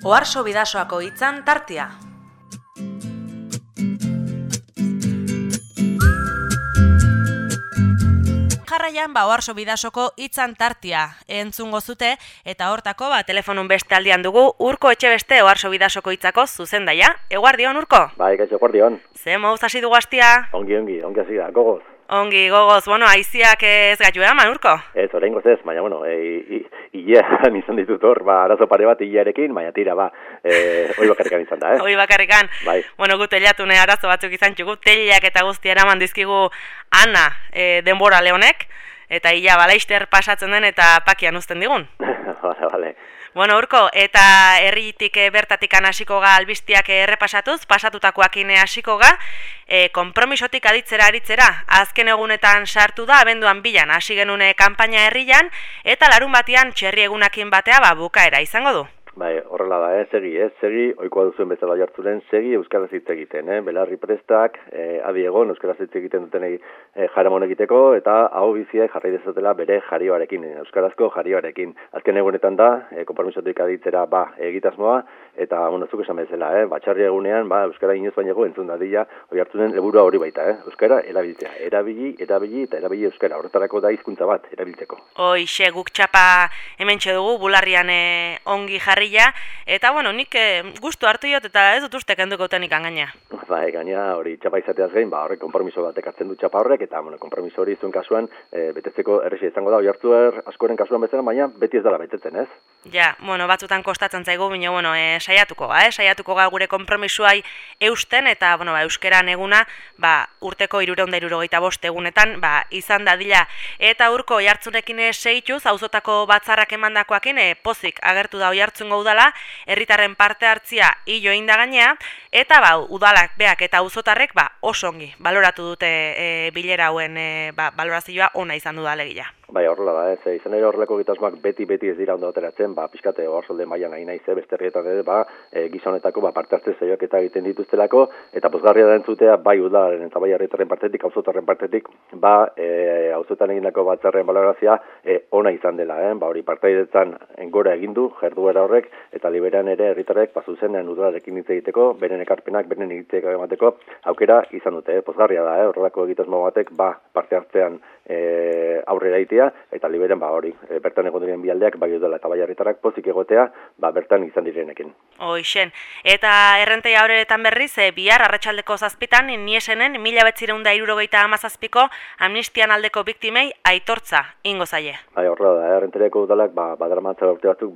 Oharso Bidasoako hitzan tartea. Jarraian Oharso Bidasoko hitzan tartea entzungo zute eta hortako telefonun beste aldian dugu Urko Etxebeste Oharso Bidasoko hitzako zuzendaia. Eguardion, Urko? Bai, kaixo, eguardion. Ze moduz hasi dugu astia? Ongi hasi da, gogoz. Ongi, gogoz, aiziak ez gaitu eman, Urko? Ez, oraingoz ez, baina, hilean izan ditut hor, arazo pare bat hilearekin, baina tira, hoi bakarrikan izan da, Hoi bakarrikan. Bai. Gu teliatune arazo batzuk izan txugu, teliak eta guzti eraman dizkigu Ana denbora lehonek, eta hila balaister pasatzen den eta pakian uzten digun. Bale. Urko, eta herritik bertatik hasiko ga albistiak errepasatuz, pasatutakoakin hasiko ga, konpromisotik aritzera, azken egunetan sartu da, abenduan bilan hasi genune kanpaina herrian, eta larun batean txerri egunakin batea bukaera izango du. Bai, horrela da, segi, oikoa duzuen bezala jartzuren, segi euskaraz hitz egiten, belarri prestak, adi egon euskaraz hitz egiten dutenei jaramon egiteko, eta hau biziak jarri dezatela bere jarioarekin, euskarazko jarioarekin. Azken egunetan da, konpromisotik aditzera egitasmoa, eta zuk esan bezala, batxarri egunean, euskara inoz bainago entzun dadila, hori hartzunen leburua hori baita, euskara erabiltzea, erabili euskara, horretarako da hizkuntza bat erabiltzeko. Hoixe, guk txapa hementxe dugu, bularrian ongi jarri. Eta, nik gustu hartu jot eta ez dut uste kenduko tenik gaina. Gaina hori txapa izateaz gain, horrek konpromiso batek hartzen du txapa horrek, eta konpromiso hori zuen kasuan betetzeko errexia izango da, oihartzuer askoren kasuan bezala, baina beti ez dela betetzen, ez? Ja, batzutan kostatzen zaigu, baina saiatuko ga gure konpromisoai eusten, eta euskeran eguna urteko 365 egunetan izan dadila. Eta Urko oihartzunekin segituz, auzotako batzarrak emandakoakin pozik agertu da oihartzungo udala, herritarren parte hartzia hilo egin da gainea, eta udalak beak eta auzotarrek oso ongi baloratu dute bilera hauen balorazioa ona izan du da alegia. Horrela da, izan ere horrelako egitasmoak beti ez dira ondo ateratzen, pixkate Oharsolde mailan nahi naiz, beste herrietan ere, gizonetako parte hartze saioak eta egiten dituztelako, eta pozgarria da entzutea, bai udalaren eta bai herritarren partetik, auzotarren partetik, auzotan egindako batzarren balorazioa ona izan dela, hori partaidetzan gora egin du, jarduera horrek, eta liberan ere herritarrek zuzenean udalarekin hitz egiteko, beren ekarpenak, beren egiteko emateko, aukera izan dute, pozgarria da, horrelako egitasmo batek, parte hartzean aurrera itea, eta liberen bertan egon diren bialdeak, bai udala eta bai herritarrak pozik egotea, bertan izan direnekin. Hoixen, eta errenteia horretan berriz, bihar arratsaldeko 7 niesenen 1977ko amnistian aldeko biktimei aitortza ingo zaie. Horrela da, errenteriako udalak badaramatza urte batzuk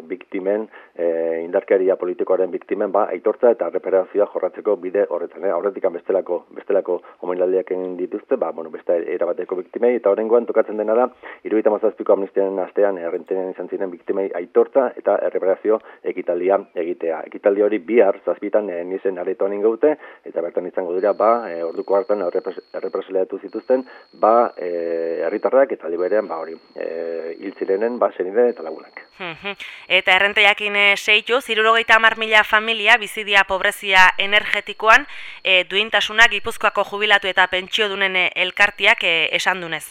biktimen, indarkeria politikoaren biktimen aitortza eta reparazioa jorratzeko bide horretan. Aurretik bestelako omenaldiak egin dituzte, beste erabateko biktimei, eta horrengoan tokatzen dena da, 77ko amnistiaren astean errenterian izan ziren biktimei aitortza eta reparazio ekitaldia egitea. Ekitaldi hori bihar 7 niesen aretoan ingaute, eta bertan izango dira, orduko hartan errepresaliatu zituzten, herritarrak eta liberean hil zirenen senide eta lagunak. Eta errenteiakin seitu, 70.000 familia bizidia pobrezia energetikoan duintasunak Gipuzkoako jubilatu eta pentsiodunen elkartiak esan dunez.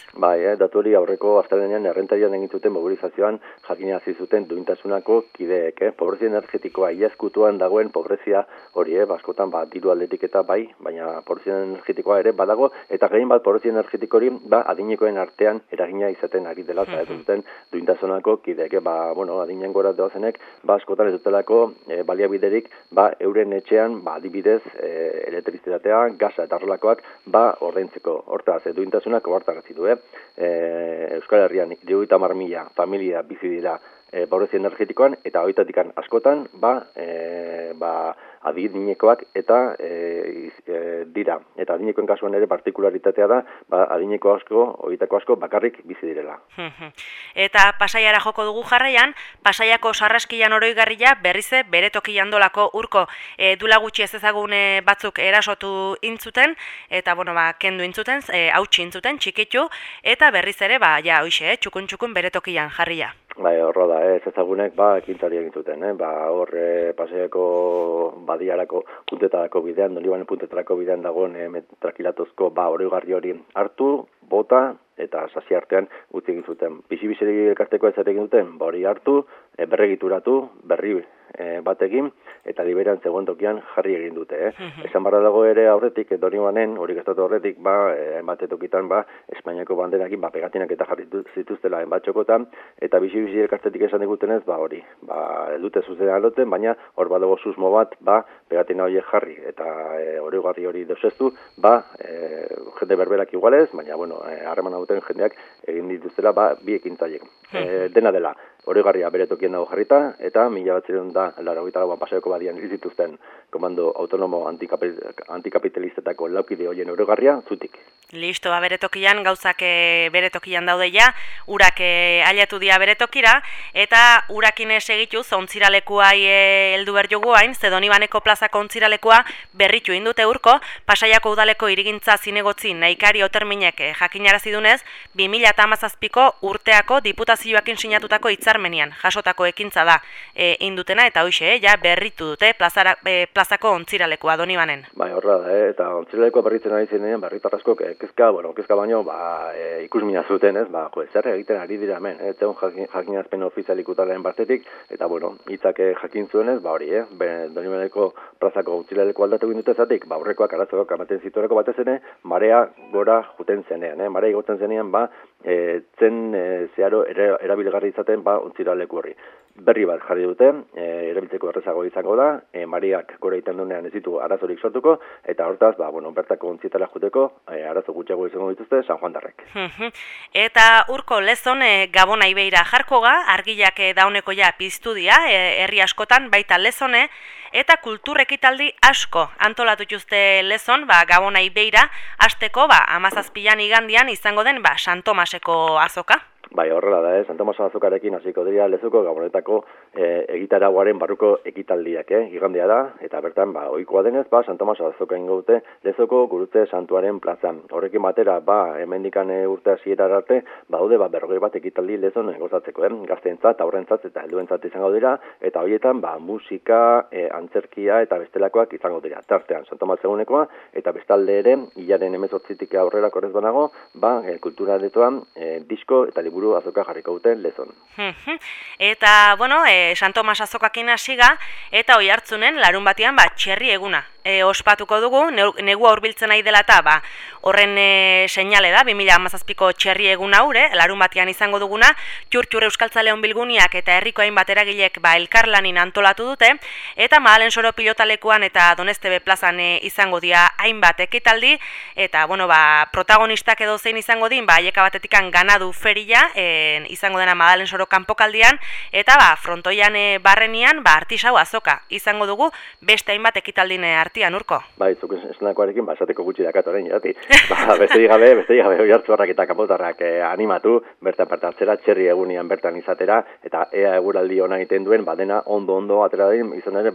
Datu hori aurreko astelehenean errentarian egin zuten mobilizazioan jakinazi zuten duintasunako kideek. Pobrezia energetikoa iazkutuan dagoen pobrezia hori, askotan diru aldetik eta baina pobrezia energetikoa ere badago, eta gehien pobrezia energetiko hori adinekoen artean eragina izaten ari dela zuten duintasunako kideek. Adinen gora doazenek, askotan ez dutelako baliabiderik, euren etxean, adibidez, elektrizitatea, gasa eta horrelakoak, ordaintzeko. Hortaz, duintasunak ohartarazi du, Euskal Herrian 70.000 familia bizi dira pobrezia energetikoan, eta horietatik askotan, adinekoak eta dira. Eta adinekoen kasuan ere partikularitatea da, adineko horietako asko bakarrik bizi direla. Eta Pasaiara joko dugu jarraian, Pasaiako sarraskilan oroigarria berrize bere tokian dolako Urko. Dula gutxi ez ezagune batzuk erasotu intzuten, eta kendu intzuten, hautsi intzuten, txikitu, eta berriz ere, txukun bere tokian jarria. Horra da, ez ezagunek, ekintzari egin zuten, hor Pasaiako badiarako puntetarako bidean, Donibane puntetarako bidean dagoen metrakilatozko oroigarri hori hartu, bota, eta sasi artean utzi egin zuten. Bizi-bizeri elkarteko ez egin duten, hori hartu, berregituratu, berri bat egin, eta Liberan zegoen tokian jarri egin dute. Esan barra dago ere aurretik, Donibanen, hori gestatu aurretik, hainbat tokitan, Espainiako banderakin, pegatinak eta jarri zituztela hainbat txokotan, eta bizi elkartetik esan digutenez, hori, dute zuzenean loten, baina hor badago susmo bat, pegatina horiek jarri, eta hori deuseztu, jende berberak igualez, baina, harreman duten jendeak egin dituztela, bi ekintzaiek. Dena dela, oroigarria bere tokien dago jarrita, eta 1980 Pasaiako badian hil zituzten komando autonomo antikapitalistetako laukide horien oroigarria zutik. Listo, bere tokian, gauzak bere tokian daude ja, urak ailatu dia bere tokira, eta urakin segituz, ontziralekuai heldu berjogu hain, Donibaneko plazako ontziralekua berritu indute urko, Pasaiako udaleko irigintza zinegotzi nahikari oterminek jakinarazi dunez, 2017ko urteako diputazioakin sinatutako hitzarmenian jasotako ekintza da indutena, eta hoxe, berritu dute plazako ontziralekua Donibanen. Horra da, eta ontziralekua berritzen ari zenean, berritarrasko kezka baino, ikusmina zuten, zer egiten ari dira hemen, zeon jakinazpen ofizialik utalen batetik, eta hitzak jakin zuenez, Donibaneko plazako ontziralekua aldatu egin dute zatik, aurrekoak arazoak amaten zitueneko batez ere, marea gora juten zenean, marea igotzen zenean, zen zeharo erabilgarri izaten ontziraleku horri. Berri bat jarri dute, erabiltzeko errezago izango da, mareak gora egiten duenean ez ditu arazorik sortuko, eta hortaz, bertako ontzietara juteko, arazo gutxiago izango dituzte San Juan darrek. Eta urko lezon Gabona ibeira jarkoga, argilak dauneko piztu dia, herri askotan, baita lezone, eta kultur ekitaldi asko antolatu juzte lezon, Gabona ibeira, hasteko 17 igandian izango den San Tomaseko azoka. Horrela da, San Tomas azokarekin hasiko dira Lezuko Gabonetako egitaraguaren barruko ekitaldiak, igandea da, eta bertan, ohikoa denez, San Tomas azoka ingo dute Lezoko Gurutze Santuaren plazan. Horrekin batera, hemendikan urte hasiera arte, daude 40 bat ekitaldi Lezon gozatzeko, gazteentzat, aurrentzat eta helduentzat izango dira, eta horietan, musika, antzerkia eta bestelakoak izango dira. Tartean, San Tomas egunekoa, eta bestalde ere, hilaren 18tik aurrera korrez banago, kultura aretoan, disko eta liburu azoka jarriko dute Lezon. Eta, San Tomas azokakin hasiga, eta oi hartzunen larun batean txerri eguna. Ospatuko dugu, negua hurbiltzen nahi dela eta horren seinale da, 2017ko txerri egun haure, larun batean izango duguna, Txurtxur Euskaltzaleon bilguniak eta herriko hainbat eragilek elkarlanin antolatu dute, eta Mahalen Soro pilotalekuan eta Donestebe plazan izango dira hainbat ekitaldi, eta protagonistak edo zein izango din, haieka batetikan ganadu feria, izango dena Mahalen Soro kanpokaldian, eta frontoian barrenian, artisau azoka izango dugu, beste hainbat ekitaldin artian urko. Zuk esenakoarekin, esateko gutxi dakatoren, jati. Besterik gabe hori hartzuarrak eta kapotarrak animatu, bertan hartzera, txerri egunian bertan izatera, eta ea eguraldi hona egiten duen, dena ondo atera den, izan ere,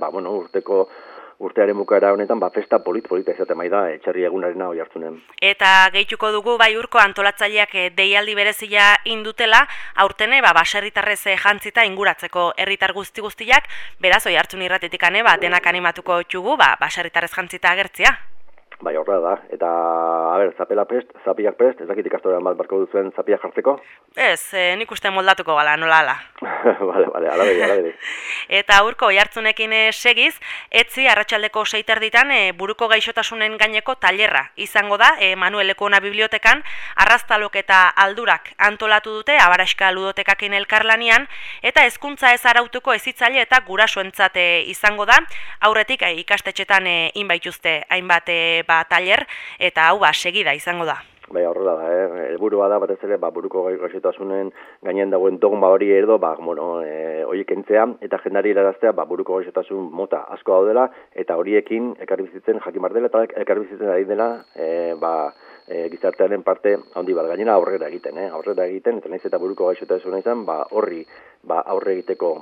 urtearen bukaera honetan, festa polita izaten da, txerri egunarena hori hartzunen. Eta gehituko dugu, urko antolatzaileak deialdi berezia indutela, aurtene, baserritarrez jantzita inguratzeko herritar guztiak, beraz, oi hartzun irratetik denak animatuko txugu, baserritarrez jantzita agertzia. Horrela da, eta, zapiak prest, ez dakit ikastorean bat barko duzuen zapiak jartzeko? Ez, nik uste moldatuko gala, nola ala. Bale, alabedi. Eta urko oihartzunekin segiz, etzi arratsaldeko 6 buruko gaixotasunen gaineko tailerra izango da, Manuel Lekona bibliotekan, arraztalok eta aldurak antolatu dute, Abaraxka ludotekakin elkarlanian, eta hezkuntza ez arautuko ezitzaile eta gurasoentzat izango da, aurretik ikastetxetan inbaituzte hainbat tailer, eta hau segida izango da. Horrela da, helburua da batez ere, buruko gaixotasunen gainen dagoen dogma hori edo, horiek entzea, eta jendari iraraztea, buruko gaixotasun mota asko daudela, eta horiekin ekarbizitzen jakin bar dela, eta ekarbizitzen ari dela, gizartearen parte handi bat gainera aurrera egiten, eta nahiz eta buruko gaixotasuna izan, horri aurre egiteko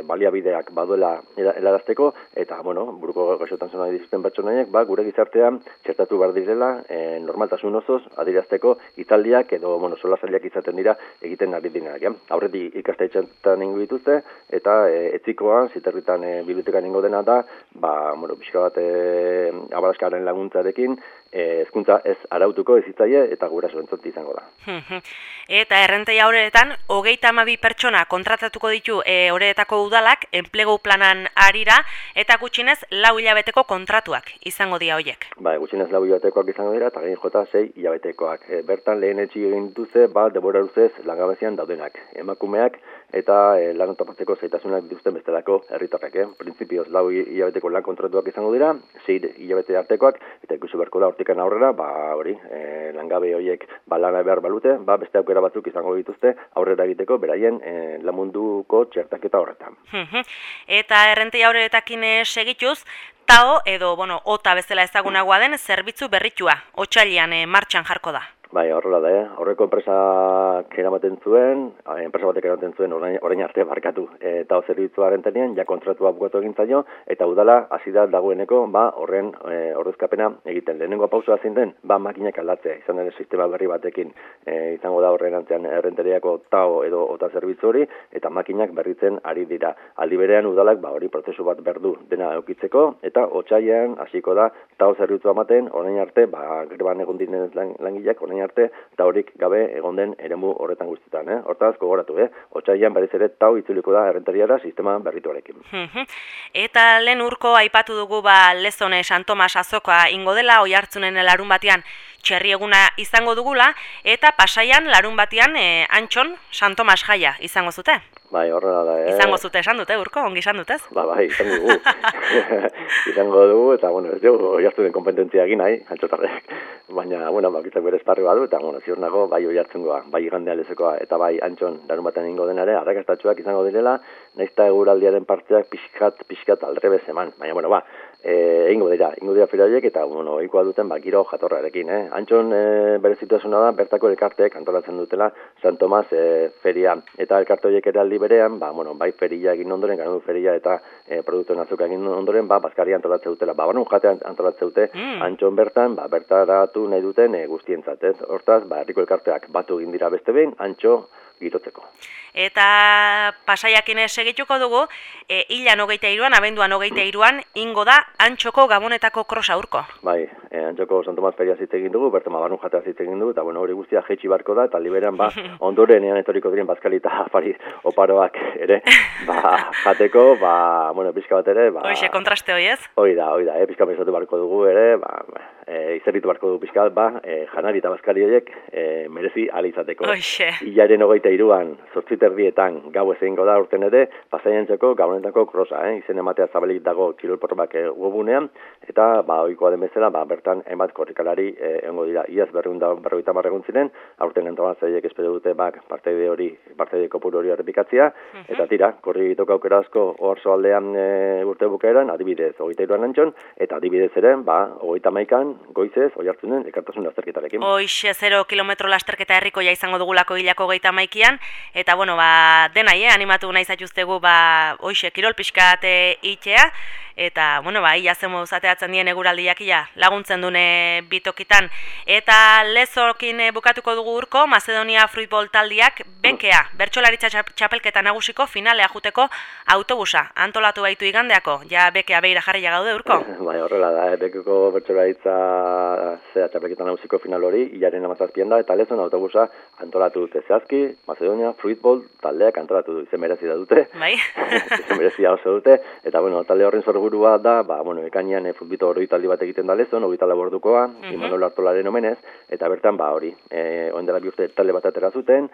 baliabideak baduela helarazteko, eta buruko gaixotasuna dituzten pertsonaiek gure gizartean txertatu behar direla normaltasun osoz adierazteko hitzaldiak edo solasaileak izaten dira egiten ari direnak. Aurretik ikastetxeetan ingo dituzte, eta etzikoan, ziterritan bibliotekan ingo dena da, pixka bat Abaraskaren laguntzarekin, hezkuntza ez arautuko ezitzaile eta gurasoentzat izango da. Eta errentei horretan, 32 pertsona kontratatuko ditu horretako udalak, enplegu planan arira, eta gutxinez 4 hilabeteko kontratuak izango dira horiek. Gutxinez 4 hilabetekoak izango dira, eta gain jota 6 hilabetekoak. Bertan lehen etxi egin dituzte, denbora luzez langabezian daudenak. Emakumeak eta lan topatzeko zaitasunak dituzten bestelako herritarrek. Printzipioz 4 hilabeteko lan kontratuak izango dira, 6 hilabete artekoak, eta ikusi beharko da hortikan aurrera, langabe horiek lana behar balute, beste aukera batzuk izango dituzte aurrera egiteko beraien lan munduko txertaketa horretan. Eta errentei aurretakin segituz, TAO edo, OTA bezala ezagunagoa den zerbitzu berritua, otsailean martxan jarko da. Horrela da, horreko enpresak eramaten zuen, enpresa batek eramaten zuen orain arte barkatu. Eta zerbitzuaren tenean, kontratua bukatu egin zaio, eta udala hasi da dagoeneko, horren ordezkapena egiten. Lehenengo pausoa zein den, makinak aldatzea, izan den sistema berri batekin izango da horren antzean errenteriako TAO edo OTA zerbitzu hori, eta makinak berritzen ari dira. Aldi berean udalak, hori prozesu bat berdu dena eukitzeko, eta otsailean hasiko da TAO zerbitzua ematen, orain arte, greban egon diren langileak, orain arte, eta horik gabe egon den eremu horretan guztietan. Hortaz, gogoratu, otsailean berriz ere TAO itzuliko da errentariara sistema berrituarekin. Eta lehen urko aipatu dugu Lezone San Tomas azokoa ingo dela, Oiartzunen larun batean txerri eguna izango dugula, eta Pasaian larun batean Antxon San Tomas jaia izango zute. Horrela da, Izango zute esan dute, urko, ongi esan dutez? Izango dugu. Izango dugu, eta, ez dugu, Oiartzunen kompetentzia egin nahi, Antxotarrek. Baina, bakitzak bere esparri badu, eta, ziur nago, Oiartzungoa, Igandea Lezokoa, eta Antxon larun batean ingo denare, arrakastatxuak izango direla, naizta eguraldiaren partzeak pixkat aldrebez eman. Baina, ingo dira fira horiek, eta, ohikoa duten, giro jatorrarekin, Antxon bere situazioa da, bertako elkarteek antolatzen dutela San Tomas feria, eta elkarte horiek ere aldi berean, bai feria egin ondoren, ganadu feria eta produktuen azuka egin ondoren, bazkaria antolatzen dutela, jatea antolatzen dute, Antxon bertan, bertaratu nahi duten guztientzat, hortaz, herriko elkarteak batu egin dira beste behin, Antxo girotzeko. Eta Pasaiakin segituko dugu, hilan 23an, abenduan 23an, ingo da Antxoko Gabonetako krosa urko. Antxoko San Tomas feria zitze egin dugu, bertan barun jatea zitze egin dugu, eta hori guztia jeitsi barko da, eta liberan ondoren etoriko diren bazkali eta afari oparoak ere, jateko, pixka bat ere, Hoxe, kontraste hoi ez? Hoi da, pixka pensatu barko dugu ere, izerritu barko dugu pixka bat, janari eta bazkali horiek merezi alizateko. Hoxe. Hilaren 23an, 8:30 gau ezingo da urten ere, Pasaiantzako Gabonetako krosa, izen ematea zabalik dago kirolporrak webunean, eta ohikoa den bezala, bertan hainbat korrikalari egongo dira. Iaz 250 egun ziren, aurten antolatzaileek espero dute partaide kopuru hori errepikatzea, eta tira, korri egiteko aukera asko oarsoaldean urte bukaeran, adibidez 23an Antxon, eta adibidez ere, 31an goizez Oiartzunen elkartasun lasterketarekin. Hoxe, 0 kilometro lasterketa herrikoia izango dugulako hilako 31an, eta denai, animatu nahi zaituztegu, hoxe, kirol pixkat itxea, eta, ia zemo zateatzen dien eguraldiak laguntzen dune bitokitan. Eta Lezokin bukatuko dugu urko, Macedonia Fruitball taldiak bekea, bertsolaritza txapelketa nagusiko finalea juteko autobusa. Antolatu baitu igandeako, bekea behira jarria gaude urko? Horrela da, bekeko bertsolaritza txapelketa nagusiko final hori, hilaren 17an da, eta Lezon autobusa antolatu dute zehazki, Macedonia Fruitball taldeak antolatu du, izen merezia dute. Izen merezia oso dute, eta talde horren sorburua da, ekainean futbito hori taldi bat egiten da Lezon, 24 ordukoa, Imanol Artolaren omenez, eta bertan hori, oindela bi urte talde bat atera zuten,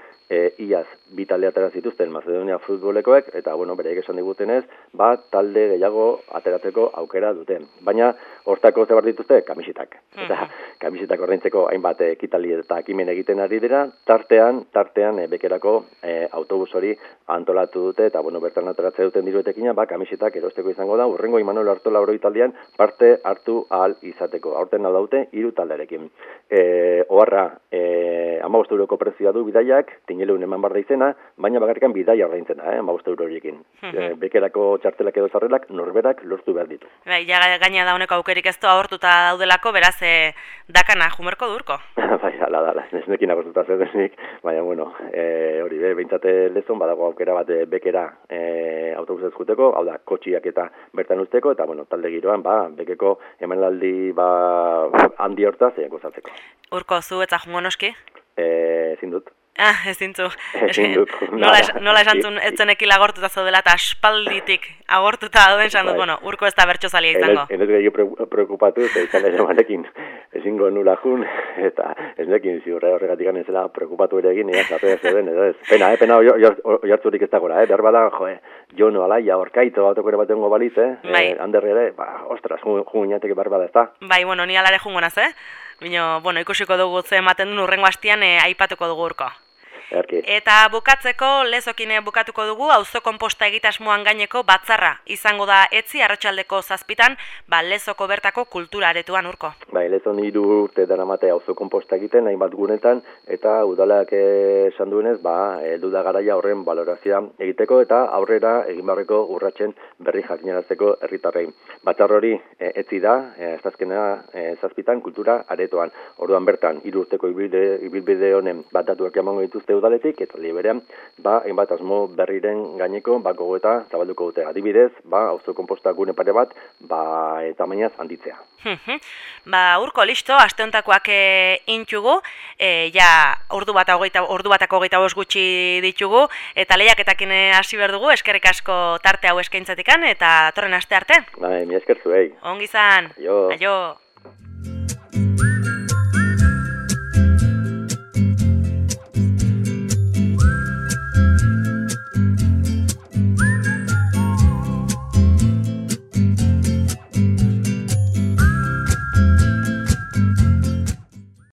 iaz bi talde atera zituzten Macedonia Futbolekoek, eta bereik esan digutenez, talde gehiago ateratzeko aukera duten. Baina, hortako zebar dituzte, kamisetak. Eta kamisetak ordaintzeko hainbat ekitaldi eta ekimen egiten ari dira, tartean bekerako autobus hori antolatu dute, eta bertan ateratzea duten diruetekina, kamisetak erosteko izango da, urrengo Imanol Artola oroitaldian parte hartu ahal izateko. Aurten hau daute, 3 talderekin. Oharra, 15 euroko prezioa du bidaiak, tineleun eman barra izena, baina bakarrikan bidaia ordaintzena, 15 euro horiekin. Bekerako txartelak edo zarrelak norberak lortu behar ditu. Gaina da honeko aukerik ez doa hortuta daudelako, delako, beraz, dakana jumerko durko. Bai, ala da, ez nekin agostuta zedenik, baina, bueno, hori behintzate lezon, badago aukera bat bekera autobusez juteko, hau da, kotxiak eta bertan usteko, eta, bueno, talde giroan, bekeko emanaldi, handi hortaz, gozatzeko. Urko, zu eta jungo noski? Ezin dut. Ezin zu. Ezin dut. Nola esan zuen etzenekila agortuta zaudela eta aspalditik agortuta duen esan dut, bueno, Urko ez da bertso zalia izango. Enez gehiago preokupatu, izan ere manekin ezingo nula jun, eta ez nekin ziurre horregatik anezela preokupatu ere egin, zapea zeuden, edo ez. Pena oiartzurik ez dagoela, behar bada, Jono, Alaia, Orkaito, autoko ere batengo balitz, handerri ere, ostras, jun inateke behar bada ez da. Bai, bueno, ni alare jungo naz, Bino, bueno, ikusiko dugu ze ematen duen urrengo hastian aipatuko dugu Urko. Erki. Eta bukatzeko, lezokin bukatuko dugu, auzo konposta egitasmoan gaineko batzarra izango da etzi arratsaldeko 7 lezoko bertako kultura aretuan Urko. Bai, lezon 3 urte daramate auzo konposta egiten, hainbat gunetan, eta udalak esan duenez, heldu da garaia horren balorazioa egiteko, eta aurrera egin barreko urratsen berri jakinarazteko herritarrei. Batzar hori etzi da, azkena 7 kultura aretoan. Orduan bertan, 3 urteko ibilbide honen datuak emango dituzte udaletik, eta liberean, hainbat asmo berriren gaineko, gogoeta zabalduko dute. Adibidez, auzo konposta gune pare bat, tamainaz handitzea. Urko, listo, aste hontakoak intugu, ordu batako 25 gutxi ditugu, eta lehiaketakin hasi behar dugu, eskerrik asko tarte hau eskaintzatikan, eta datorren aste arte. Mi esker zuei. Ongi izan. Aio. Aio.